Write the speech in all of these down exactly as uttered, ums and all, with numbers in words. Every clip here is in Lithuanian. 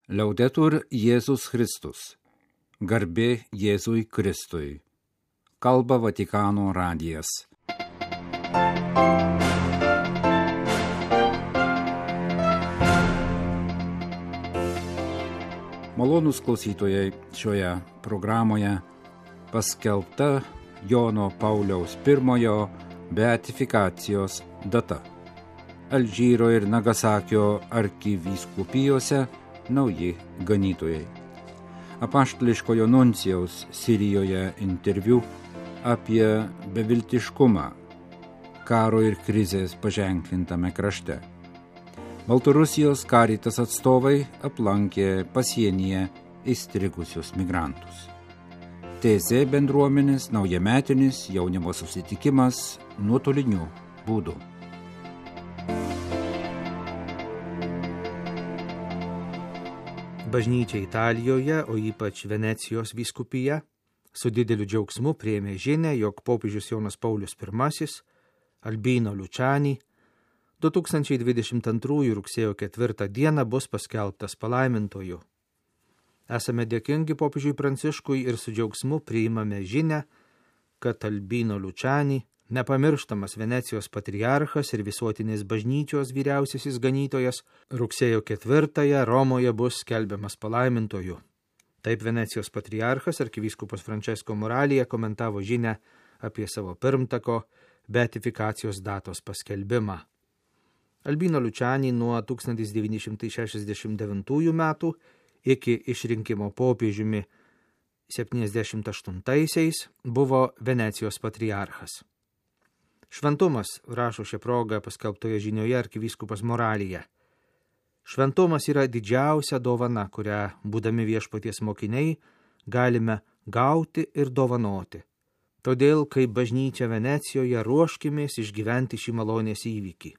Liaudetur Jėzus Kristus. Garbė Jėzui Kristui. Kalba Vatikano radijas. Malonūs klausytojai, šioje programoje paskelbta Jono Pauliaus pirmojo beatifikacijos data. Alžyro ir Nagasakio arkivyskupijose nauji ganytojai. Apaštališkojo nuncijaus Sirijoje interviu apie beviltiškumą karo ir krizės paženklintame krašte. Baltarusijos Caritas atstovai aplankė pasienyje įstrigusius migrantus. T Z bendruomenės naujametinis jaunimo susitikimas nuotoliniu būdu. Bažnyčia Italijoje, o ypač Venecijos vyskupija, su dideliu džiaugsmu priėmė žinią, jog popiežius Jonas Paulius pirmasis, Albino Luciani, du tūkstančiai dvidešimt antrųjų rugsėjo ketvirtą dieną bus paskelbtas palaimintoju. Esame dėkingi popiežiui Pranciškui ir su džiaugsmu priimame žinią, kad Albino Luciani, nepamirštamas Venecijos patriarchas ir visuotinės bažnyčios vyriausiasis ganytojas, rugsėjo ketvirtąją Romoje bus skelbiamas palaimintoju. Taip Venecijos patriarchas arkivyskupas Francesco Moralija komentavo žinią apie savo pirmtako beatifikacijos datos paskelbimą. Albino Luciani nuo tūkstantis devyni šimtai šešiasdešimt devintųjų metų iki išrinkimo popiežiumi septyniasdešimt aštuntaisiais buvo Venecijos patriarchas. Šventumas, rašo šią progą paskelbtoje žinioje arkivyskupas Moralija. Šventumas yra didžiausia dovana, kurią, būdami viešpaties mokiniai, galime gauti ir dovanoti. Todėl, kaip bažnyčia Venecijoje, ruoškimės išgyventi šį malonės įvykį.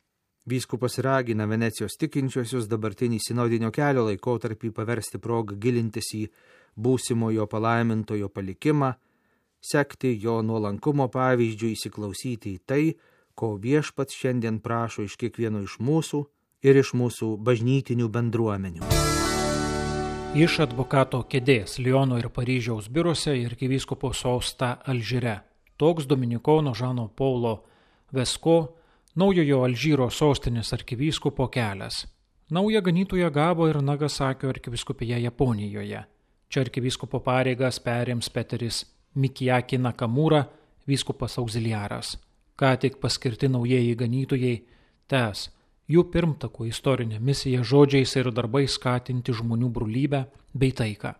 Vyskupas ragina Venecijos tikinčiuosius dabartinį sinodinio kelio laikotarpį paversti progą gilintis į būsimojo palaimintojo palikimą, sekti jo nuolankumo pavyzdžių, įsiklausyti į tai, ko viešpats šiandien prašo iš kiekvieno iš mūsų ir iš mūsų bažnytinių bendruomenių. Iš advokato kėdės Liono ir Paryžiaus biuruose ir arkivyskupo sostą Alžyre. Toks dominikono Žano Paulo Vesko, naujojo Alžyro sostinės arkivyskupo kelias. Naują ganytoją gavo ir Nagasakio arkivyskupija Japonijoje. Čia arkivyskupo pareigas perims Peteris Mikijaki Nakamura, vyskupas auxiliaras. Ką tik paskirti naujieji ganytojai tęs jų pirmtakų istorinę misiją žodžiais ir darbais skatinti žmonių brolybę bei taiką.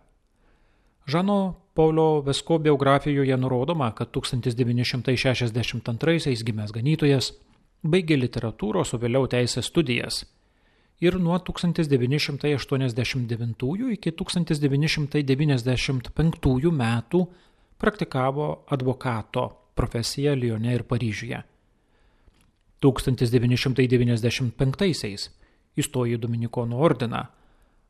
Žano Paulo Vesko biografijoje nurodoma, kad tūkstantis devyni šimtai šešiasdešimt antraisiais gimęs ganytojas baigė literatūros, o vėliau teisės studijas ir nuo tūkstantis devyni šimtai aštuoniasdešimt devintųjų iki tūkstantis devyni šimtai devyniasdešimt penktųjų metų praktikavo advokato profesiją Lione ir Paryžiuje. tūkstantis devyni šimtai devyniasdešimt penktaisiais įstojo į Dominikonų ordiną,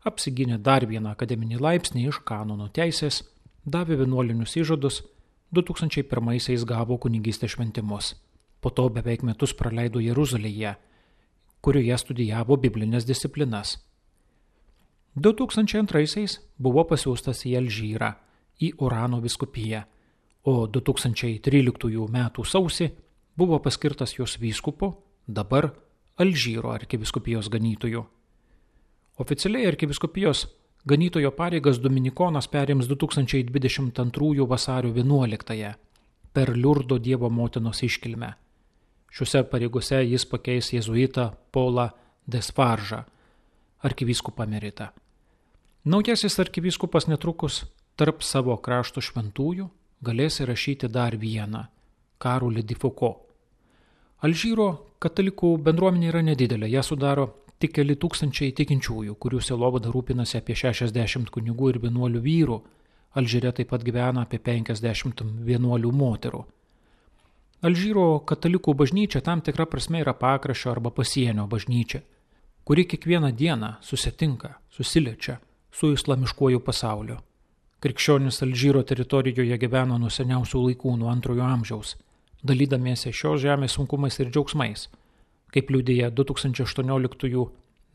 apsigynė dar vieną akademinį laipsnį iš kanono teisės, davė vienuolinius įžadus, du tūkstančiai pirmaisiais gavo kunigystės šventimus. Po to beveik metus praleido Jeruzalėje, kurioje studijavo biblinės disciplinas. du tūkstančiai antraisiais buvo pasiųstas į Alžyrą, į Orano vyskupiją, o du tūkstančiai tryliktųjų metų sausį buvo paskirtas jos vyskupu, dabar Alžyro arkivyskupijos ganytoju. Oficialiai arkivyskupijos ganytojo pareigas dominikonas perims du tūkstančiai dvidešimt antrųjų vasario vienuoliktąją per Liurdo Dievo motinos iškilmę. Šiuose pareigose jis pakeis jėzuitą Paulą Desfaržą, arkivyskupą emeritą. Naujasis arkivyskupas netrukus tarp savo krašto šventųjų galės įrašyti dar vieną – Karolį de Foucault. Alžyro katalikų bendruomenė yra nedidelė, ją sudaro tik keli tūkstančiai tikinčiųjų, kurių sielovada rūpinasi apie šešiasdešimt kunigų ir vienuolių vyrų. Alžyre taip pat gyvena apie penkiasdešimt vienuolių moterų. Alžyro katalikų bažnyčia tam tikra prasme yra pakraščio arba pasienio bažnyčia, kuri kiekvieną dieną susitinka, susiliečia su islamiškuoju pasauliu. Krikščionys Alžyro teritorijoje gyveno nuo seniausių laikų, nuo antrojo amžiaus, dalydamiesi šios žemės sunkumais ir džiaugsmais, kaip liudija du tūkstančiai aštuonioliktųjų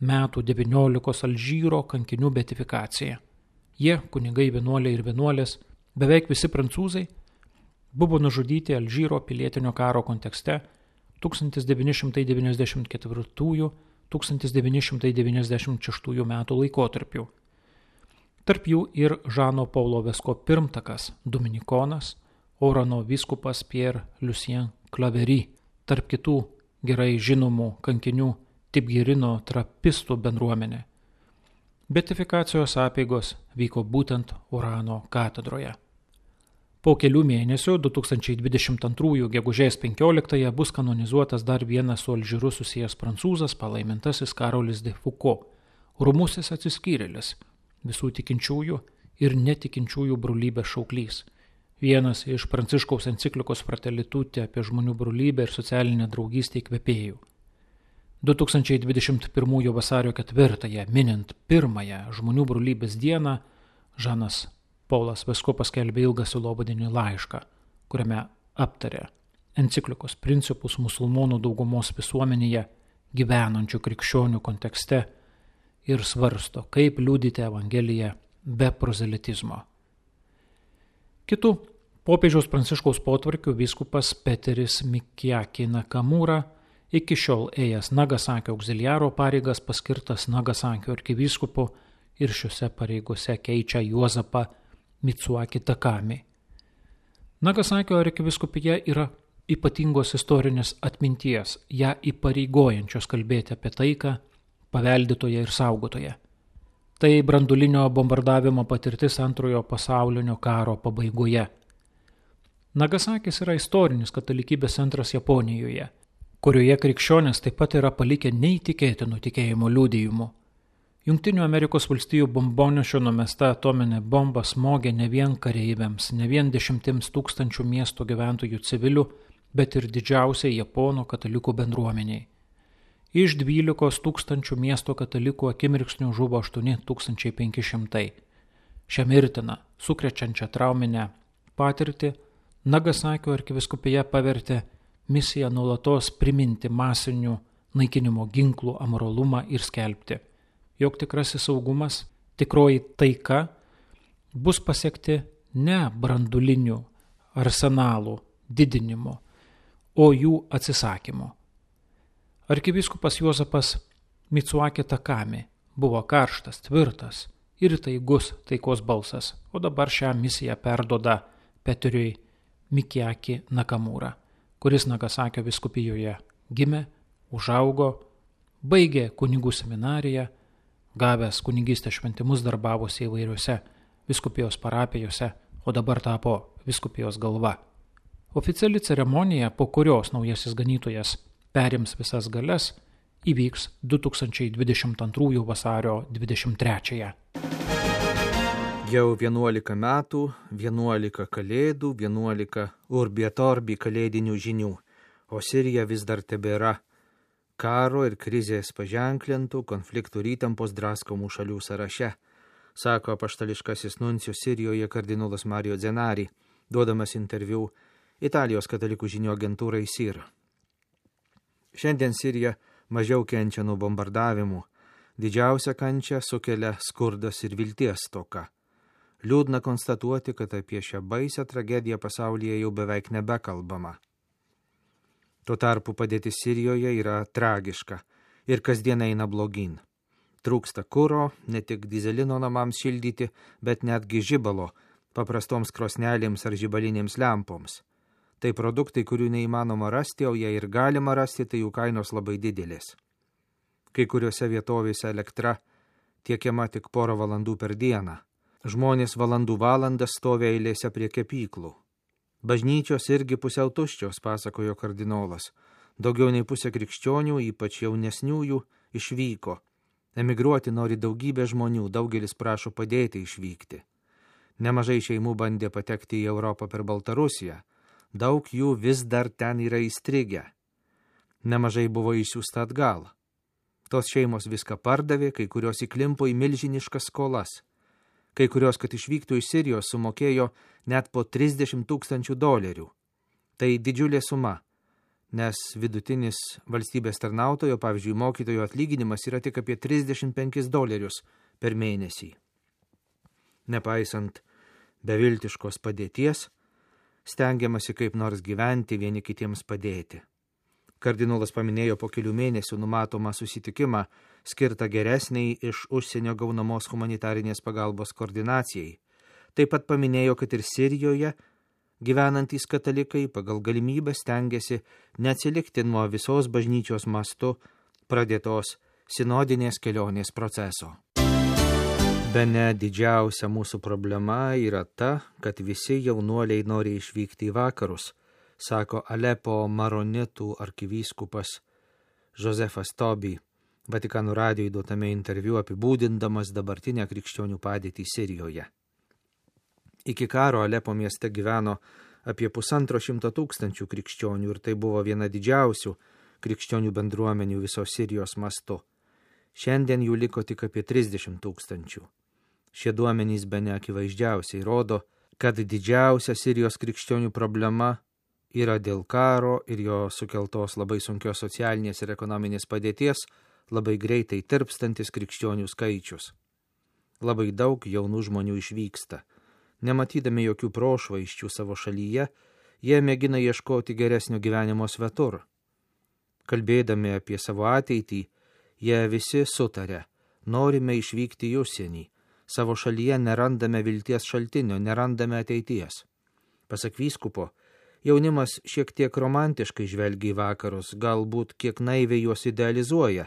metų devyniolikos Alžyro kankinių beatifikacija. Jie, kunigai, vienuoliai ir vienuolės, beveik visi prancūzai, buvo nužudyti Alžyro pilietinio karo kontekste tūkstantis devyni šimtai devyniasdešimt ketvirtųjų - tūkstantis devyni šimtai devyniasdešimt šeštųjų metų laikotarpiu. Tarp jų ir Žano Paulo Vesko pirmtakas, dominikonas, Orano vyskupas Pierre Lucien Claverie, tarp kitų gerai žinomų kankinių Tibgerino trapistų bendruomenė. Beatifikacijos apeigos vyko būtent Orano katedroje. Po kelių mėnesių, du tūkstančiai dvidešimt antrųjų gegužės penkioliktąją, bus kanonizuotas dar vienas su Alžyru susijęs prancūzas, palaimintasis Karolis de Foucault, rumusis atsiskyrėlis, visų tikinčiųjų ir netikinčiųjų brolybės šauklys. Vienas iš Pranciškaus enciklikos Fratelli Tutti apie žmonių brolybę ir socialinę draugystę įkvėpėjų. du tūkstančiai dvidešimt pirmųjų vasario ketvirtąją, minint pirmąją žmonių brolybės dieną, Žanas Paulas Vesko paskelbė ilgą sielovadinį laišką, kuriame aptarė enciklikos principus musulmonų daugumos visuomenėje gyvenančių krikščionių kontekste ir svarsto, kaip liudyti Evangeliją be prozelitizmo. Kitų popiežiaus Pranciškaus potvarkių vyskupas Peteris Mikiaki Nakamura, iki šiol ėjęs Nagasakio auxiliaro pareigas, paskirtas Nagasakio arkivyskupu ir šiuose pareigose keičia Juozapą Mitsuaki Takami. Nagasakio arkivyskupija yra ypatingos istorinės atminties, ją įpareigojančios kalbėti apie taiką, paveldėtoje ir saugotoje. Tai branduolinio bombardavimo patirtis antrojo pasaulinio karo pabaigoje. Nagasakis yra istorinis katalikybės centras Japonijoje, kurioje krikščionys taip pat yra palikę neįtikėtinų tikėjimo liudijimų. Jungtinių Amerikos valstijų bombonešio numesta atominė bomba smogė ne vien kareiviams, ne vien dešimtims tūkstančių miesto gyventojų civilių, bet ir didžiausiai Japonų katalikų bendruomeniai. Iš dvylikos tūkstančių miesto katalikų akimirksnių žuvo aštuoni tūkstančiai penki šimtai. Šią mirtiną, sukrečiančią trauminę patirtį Nagasakio arkivyskupija pavertė misiją nuolatos priminti masinių naikinimo ginklų amoralumą ir skelbti, jog tikrasis saugumas, tikroji taika bus pasiekti ne brandulinių arsenalų didinimo, o jų atsisakymo. Arkivyskupas Juozapas Mitsuaki Takami buvo karštas, tvirtas ir įtaigus taikos balsas, o dabar šią misiją perduoda Peteriui Mikiaki Nakamura, kuris Nagasakio vyskupijoje gimė, užaugo, baigė kunigų seminariją, gavęs kunigystės šventimus darbavosi įvairiuose vyskupijos parapijose, o dabar tapo vyskupijos galva. Oficiali ceremonija, po kurios naujasis ganytojas perims visas galias, įvyks du tūkstančiai dvidešimt antrųjų vasario dvidešimt trečiąją. Jau vienuolika metų, vienuolika kalėdų, vienuolika urbi et orbi kalėdinių žinių, o Sirija vis dar tebėra karo ir krizės paženklintų konfliktų ir įtampos draskomų šalių sąraše, sako apaštališkasis nuncijus Sirijoje kardinolas Mario Zenari, duodamas interviu Italijos katalikų žinių agentūrai S I R. Šiandien Sirija mažiau kenčia nuo bombardavimų, didžiausia kančia sukelia skurdas ir vilties stoka. Liūdna konstatuoti, kad apie šią baisią tragediją pasaulyje jau beveik nebekalbama. Tuo tarpu padėtis Sirijoje yra tragiška ir kasdien eina blogyn. Trūksta kuro, ne tik dizelino namams šildyti, bet netgi žibalo, paprastoms krosnelėms ar žibalinėms lempoms. Tai produktai, kurių neįmanoma rasti, o jei ir galima rasti, tai jų kainos labai didelės. Kai kuriuose vietovėse elektra tiekiama tik porą valandų per dieną. Žmonės valandų valandas stovi eilėse prie kepyklų. Bažnyčios irgi pusiau tuščios, pasakojo kardinolas. Daugiau nei pusė krikščionių, ypač jaunesniųjų, išvyko. Emigruoti nori daugybė žmonių, daugelis prašo padėti išvykti. Nemažai šeimų bandė patekti į Europą per Baltarusiją. Daug jų vis dar ten yra įstrigę. Nemažai buvo išsiųsta atgal. Tos šeimos viską pardavė, kai kurios įklimpo į milžiniškas skolas. Kai kurios, kad išvyktų iš Sirijos, sumokėjo net po trisdešimt tūkstančių dolerių. Tai didžiulė suma. nes vidutinis valstybės tarnautojo, pavyzdžiui, mokytojo atlyginimas yra tik apie trisdešimt penkis dolerius per mėnesį. Nepaisant beviltiškos padėties, stengiamasi kaip nors gyventi, vieni kitiems padėti. Kardinolas paminėjo po kelių mėnesių numatomą susitikimą skirtą geresniai iš užsienio gaunamos humanitarinės pagalbos koordinacijai. Taip pat paminėjo, kad ir Sirijoje gyvenantys katalikai pagal galimybę stengiasi neatsilikti nuo visos bažnyčios mastu pradėtos sinodinės kelionės proceso. Bene didžiausia mūsų problema yra ta, kad visi jaunuoliai nori išvykti į vakarus, sako Alepo maronitų arkivyskupas Josefas Tobi, Vatikano radijui duotame interviu apibūdindamas dabartinę krikščionių padėtį Sirijoje. Iki karo Alepo mieste gyveno apie pusantro šimto tūkstančių krikščionių ir tai buvo viena didžiausių krikščionių bendruomenių viso Sirijos mastu. Šiandien jų liko tik apie trisdešimt tūkstančių. Šie duomenys bene akivaizdžiausiai rodo, kad didžiausia Sirijos krikščionių problema yra dėl karo ir jo sukeltos labai sunkios socialinės ir ekonominės padėties labai greitai tirpstantis krikščionių skaičius. Labai daug jaunų žmonių išvyksta. Nematydami jokių prošvaisčių savo šalyje, jie mėgina ieškoti geresnio gyvenimo svetur. Kalbėdami apie savo ateitį, jie visi sutarė, norime išvykti į užsienį. Savo šalyje nerandame vilties šaltinio, nerandame ateities. Pasak vyskupo, jaunimas šiek tiek romantiškai žvelgia į vakarus, galbūt kiek naiviai juos idealizuoja,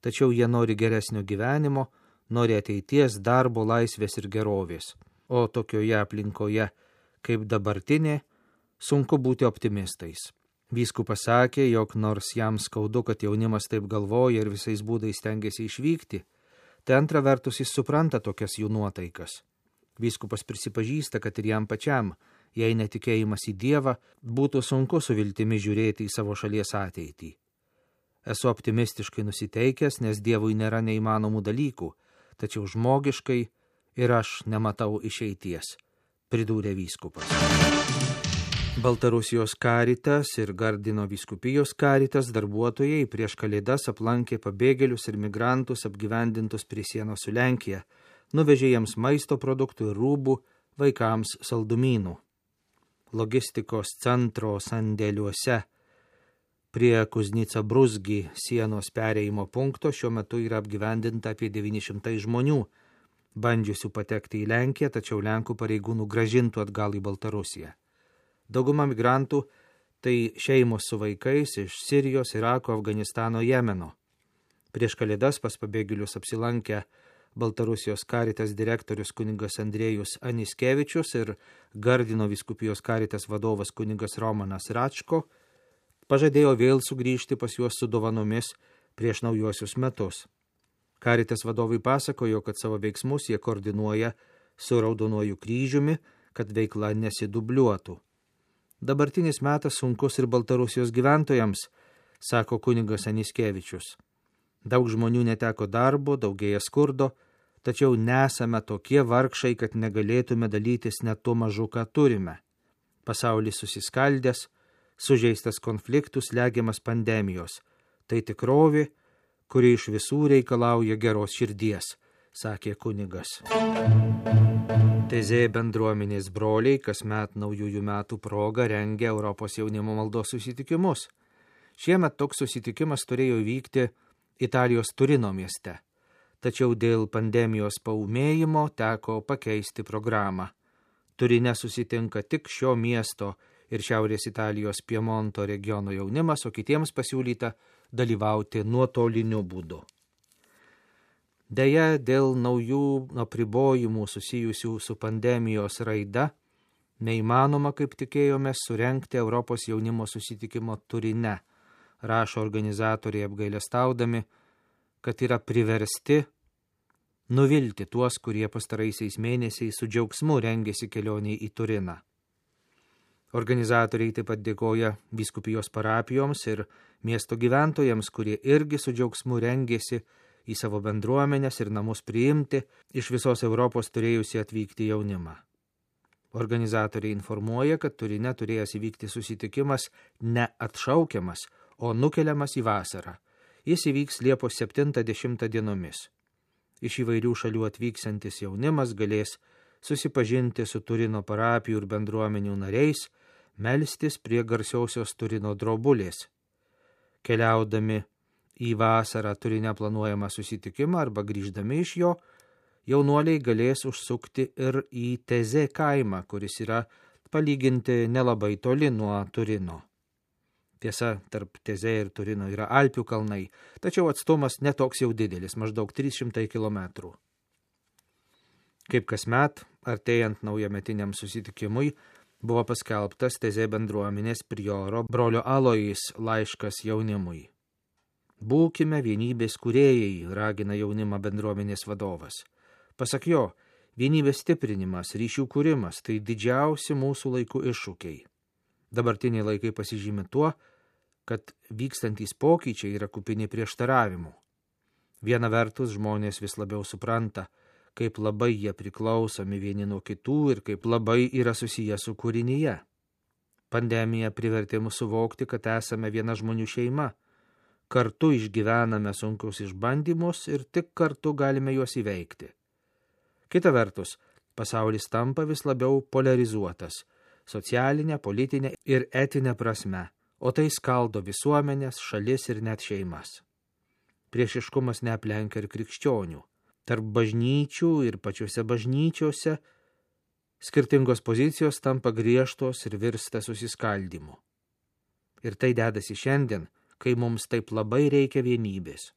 tačiau jie nori geresnio gyvenimo, nori ateities, darbo, laisvės ir gerovės. O tokioje aplinkoje, kaip dabartinė, sunku būti optimistais. Vyskupas sakė, jog nors jam skaudu, kad jaunimas taip galvoja ir visais būdais stengiasi išvykti, tai antra vertus jis supranta tokias jų nuotaikas. Vyskupas prisipažįsta, kad ir jam pačiam, jei netikėjimas į Dievą, būtų sunku su viltimi žiūrėti į savo šalies ateitį. Esu optimistiškai nusiteikęs, nes Dievui nėra neįmanomų dalykų, tačiau žmogiškai ir aš nematau išeities, pridūrė vyskupas. Baltarusijos Karitas ir Gardino vyskupijos Karitas darbuotojai prieš Kalėdas aplankė pabėgėlius ir migrantus apgyvendintus prie sienos su Lenkija, nuvežė jiems maisto produktų ir rūbų, vaikams saldumynų. Logistikos centro sandėliuose prie Kuznica Bruzgi sienos perėjimo punkto šiuo metu yra apgyvendinta apie devyni šimtai žmonių, bandžiusių patekti į Lenkiją, tačiau Lenkų pareigūnų grąžintų atgal į Baltarusiją. Dauguma migrantų tai šeimos su vaikais iš Sirijos, Irako, Afganistano, Jemeno. Prieš Kalėdas pas pabėgėlius apsilankę Baltarusijos Karitas direktorius kunigas Andrėjus Aniskevičius ir Gardino vyskupijos Karitas vadovas kunigas Romanas Račko pažadėjo vėl sugrįžti pas juos su dovanomis prieš naujuosius metus. Karitas vadovai pasakojo, kad savo veiksmus jie koordinuoja su Raudonuoju kryžiumi, kad veikla nesidubliuotų. Dabartinis metas sunkus ir Baltarusijos gyventojams, sako kunigas Aniskevičius. Daug žmonių neteko darbo, daugėja skurdo, tačiau nesame tokie vargšai, kad negalėtume dalytis net tuo mažu, ką turime. Pasaulis susiskaldęs, sužeistas konfliktų, slegiamas pandemijos. Tai tikrovė, kuri iš visų reikalauja geros širdies, sakė kunigas. Tezė bendruomenės broliai kasmet naujųjų metų proga rengia Europos jaunimo maldos susitikimus. Šiemet toks susitikimas turėjo vykti Italijos Turino mieste, tačiau dėl pandemijos paūmėjimo teko pakeisti programą. Turine susitinka tik šio miesto ir Šiaurės Italijos Piemonto regiono jaunimas, o kitiems pasiūlyta dalyvauti nuotoliniu būdu. Deja, dėl naujų apribojimų susijusių su pandemijos raida, neįmanoma, kaip tikėjome, surengti Europos jaunimo susitikimo Turine, rašo organizatoriai apgailestaudami, kad yra priversti nuvilti tuos, kurie pastaraisiais mėnesiais su džiaugsmu rengėsi kelioniai į Turiną. Organizatoriai taip pat dėkoja vyskupijos parapijoms ir miesto gyventojams, kurie irgi su džiaugsmu rengėsi į savo bendruomenės ir namus priimti iš visos Europos turėjusi atvykti jaunimą. Organizatoriai informuoja, kad Turine turėjęs įvykti susitikimas neatšaukiamas, o nukeliamas į vasarą. Jis įvyks Liepos septintą dešimtą dienomis. Iš įvairių šalių atvyksantis jaunimas galės susipažinti su Turino parapijų ir bendruomenių nariais, melstis prie garsiausios Turino drobulės. Keliaudami į vasarą Turine planuojamą susitikimą arba grįždami iš jo, jaunuoliai galės užsukti ir į Tezė kaimą, kuris yra palyginti nelabai toli nuo Turino. Tiesa, tarp Tezė ir Turino yra Alpių kalnai, tačiau atstumas netoks jau didelis, maždaug trys šimtai kilometrų. Kaip kasmet, artėjant naujametiniam susitikimui, buvo paskelbtas Tezė bendruomenės prioro brolio Alojais laiškas jaunimui. Būkime vienybės kūrėjai, ragina jaunimą bendruomenės vadovas. Pasak jo, vienybės stiprinimas, ryšių kūrimas – tai didžiausi mūsų laikų iššūkiai. Dabartiniai laikai pasižymi tuo, kad vykstantys pokyčiai yra kupini prieštaravimų. Viena vertus žmonės vis labiau supranta, kaip labai jie priklausomi vieni nuo kitų ir kaip labai yra susiję su kūrinyje. Pandemija privertė mus suvokti, kad esame viena žmonių šeima. Kartu išgyvename sunkius išbandymus ir tik kartu galime juos įveikti. Kita vertus, pasaulis tampa vis labiau polarizuotas – socialinė, politinė ir etinė prasme, o tai skaldo visuomenės, šalis ir net šeimas. Priešiškumas neaplenkia ir krikščionių. Tarp bažnyčių ir pačiuose bažnyčiose skirtingos pozicijos tampa griežtos ir virsta susiskaldymu. Ir tai dedasi šiandien, kai mums taip labai reikia vienybės.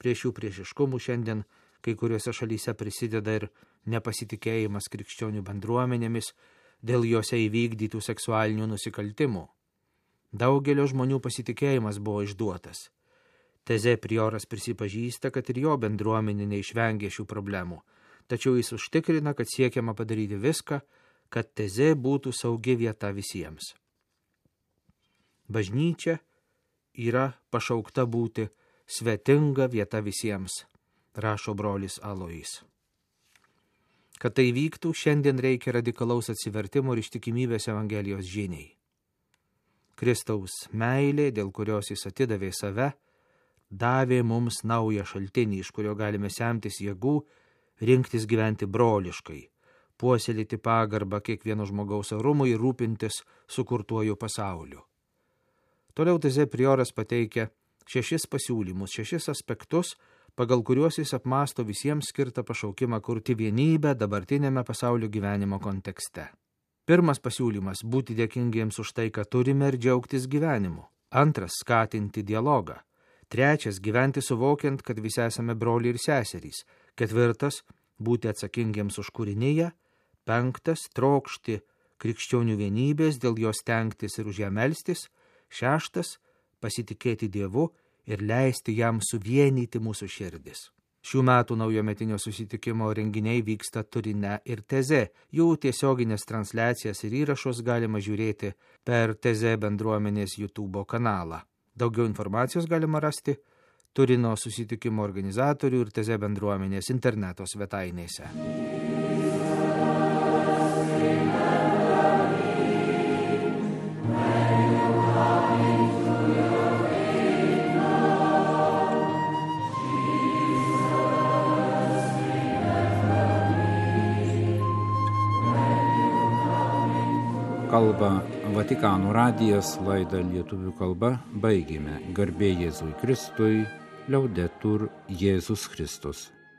Prie šių priešiškumų šiandien kai kuriuose šalyse prisideda ir nepasitikėjimas krikščionių bendruomenėmis dėl juose įvykdytų seksualinių nusikaltimų. Daugelio žmonių pasitikėjimas buvo išduotas. Tezė prioras prisipažįsta, kad ir jo bendruomenė neišvengė šių problemų, tačiau jis užtikrina, kad siekiama padaryti viską, kad Tezė būtų saugi vieta visiems. Bažnyčia yra pašaukta būti svetinga vieta visiems, rašo brolis Alojais. Kad tai vyktų, šiandien reikia radikalaus atsivertimo ir ištikimybės Evangelijos žiniai. Kristaus meilė, dėl kurios jis atidavė save, davė mums naują šaltinį, iš kurio galime semtis jėgų, rinktis gyventi broliškai, puoselėti pagarbą kiekvieno žmogaus orumui ir rūpintis sukurtuoju pasauliu. Toliau Tezė prioras pateikia šešis pasiūlymus, šešis aspektus, pagal kuriuos jis apmąsto visiems skirtą pašaukimą kurti vienybę dabartinėme pasaulio gyvenimo kontekste. Pirmas pasiūlymas – būti dėkingiems už tai, ką turime ir džiaugtis gyvenimu. Antras – skatinti dialogą. Trečias – gyventi suvokiant, kad visi esame broliai ir seserys. Ketvirtas – būti atsakingiems už kūriniją. Penktas – trokšti krikščionių vienybės, dėl jos stengtis ir už ją melstis. Šeštas – pasitikėti Dievu ir leisti jam suvienyti mūsų širdis. Šių metų naujometinio susitikimo renginiai vyksta Turine ir Tezė. Jų tiesioginės transliacijas ir įrašus galima žiūrėti per Tezė bendruomenės YouTube kanalą. Daugiau informacijos galima rasti Turino susitikimo organizatorių ir Tezė bendruomenės interneto svetainėse. Kalba Vatikano radijas, laidą lietuvių kalba baigėme. Garbė Jėzui Kristui, liaudetur Jėzus Kristus.